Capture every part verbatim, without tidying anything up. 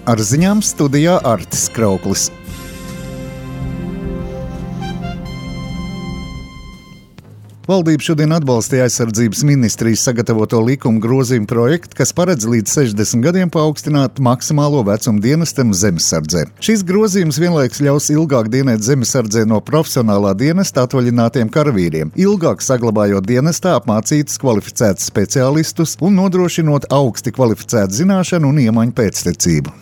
Ar ziņām studijā Artis Krauklis. Valdība šodien atbalstīja aizsardzības ministrijas sagatavoto likuma grozījumu projektu, kas paredz līdz sešdesmit gadiem paaugstināt maksimālo vecumu dienestam zemesardzē. Šis grozījums vienlaikus ļaus ilgāk dienēt zemesardzē no profesionālā dienesta atvaļinātiem karavīriem, ilgāk saglabājot dienestā apmācītus kvalificētus speciālistus un nodrošinot augsti kvalificētu zināšanu un iemaņu pēctecību.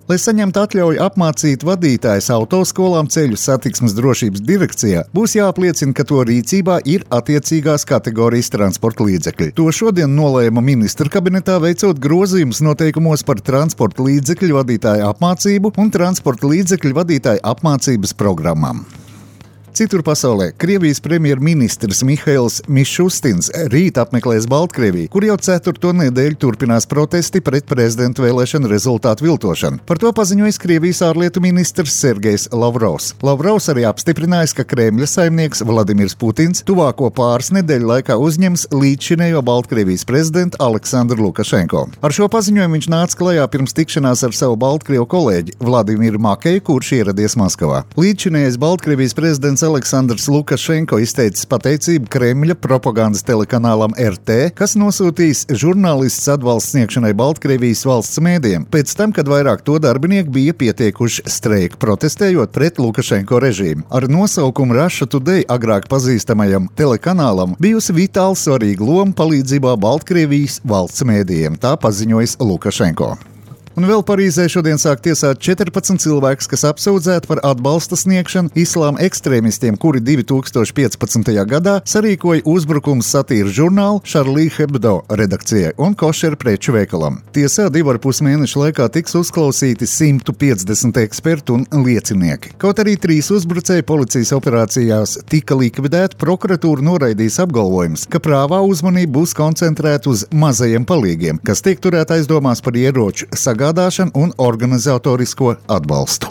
Lai saņemtu atļauju apmācīt vadītājus autoskolām ceļu satiksmes drošības direkcijā, būs jāapliecina, ka to rīcībā ir attiecīgās kategorijas transporta līdzekļi. To šodien nolēma ministra kabinetā veicot grozījumus noteikumos par transporta līdzekļu vadītāju apmācību un transporta līdzekļu vadītāju apmācības programmām. Citur pasaulē Krievijas premjerministrs Mihails Mišustins rīt apmeklēs Baltkrieviju, kur jau ceturto nedēļu turpinās protesti pret prezidenta vēlēšanu rezultātu viltošanu. Par to paziņojis Krievijas ārlietu ministrs Sergejs Lavrovs. Lavrovs arī apstiprinājis, ka Kremļa saimnieks Vladimirs Putins tuvāko pāris nedēļu laikā uzņems līdzšinējo Baltkrievijas prezidentu Aleksandru Lukašenko. Ar šo paziņojumu viņš nāca klajā pirms tikšanās ar savu Baltkrievu kolēģi Vladimiru Makeju, kurš ieradies Maskavā. Līdzšinējais Baltkrievijas prezidents Aleksandrs Lukašenko izteicis pateicību Kremļa propagandas telekanālam R T, kas nosūtījis žurnālistus atbalsts sniegšanai Baltkrievijas valsts mēdījiem, pēc tam, kad vairāk to darbinieki bija pieteikuši streiku, protestējot pret Lukašenko režīmu. Ar nosaukumu Russia Today agrāk pazīstamajam telekanālam bijusi vitāli svarīga loma palīdzībā Baltkrievijas valsts mēdījiem, tā paziņojis Lukašenko. Un vēl Parīzē šodien sāk tiesāt četrpadsmit cilvēkus, kas apsūdzēti par atbalsta sniegšanu islāma ekstrēmistiem, kuri divi tūkstoši piecpadsmitajā gadā sarīkoja uzbrukums satīras žurnālu Charlie Hebdo redakcijai un košeru preču veikalam. Tiesā divu ar pus mēnešu laikā tiks uzklausīti simt piecdesmit eksperti un liecinieki. Kaut arī trīs uzbrucēji policijas operācijās tika likvidēti, prokuratūra noraidīs apgalvojumus, ka prāvā uzmanība būs koncentrēta uz mazajiem palīgiem, kas tiek turēti aizdomās par ieroču sagādāšanu un organizatorisko atbalstu.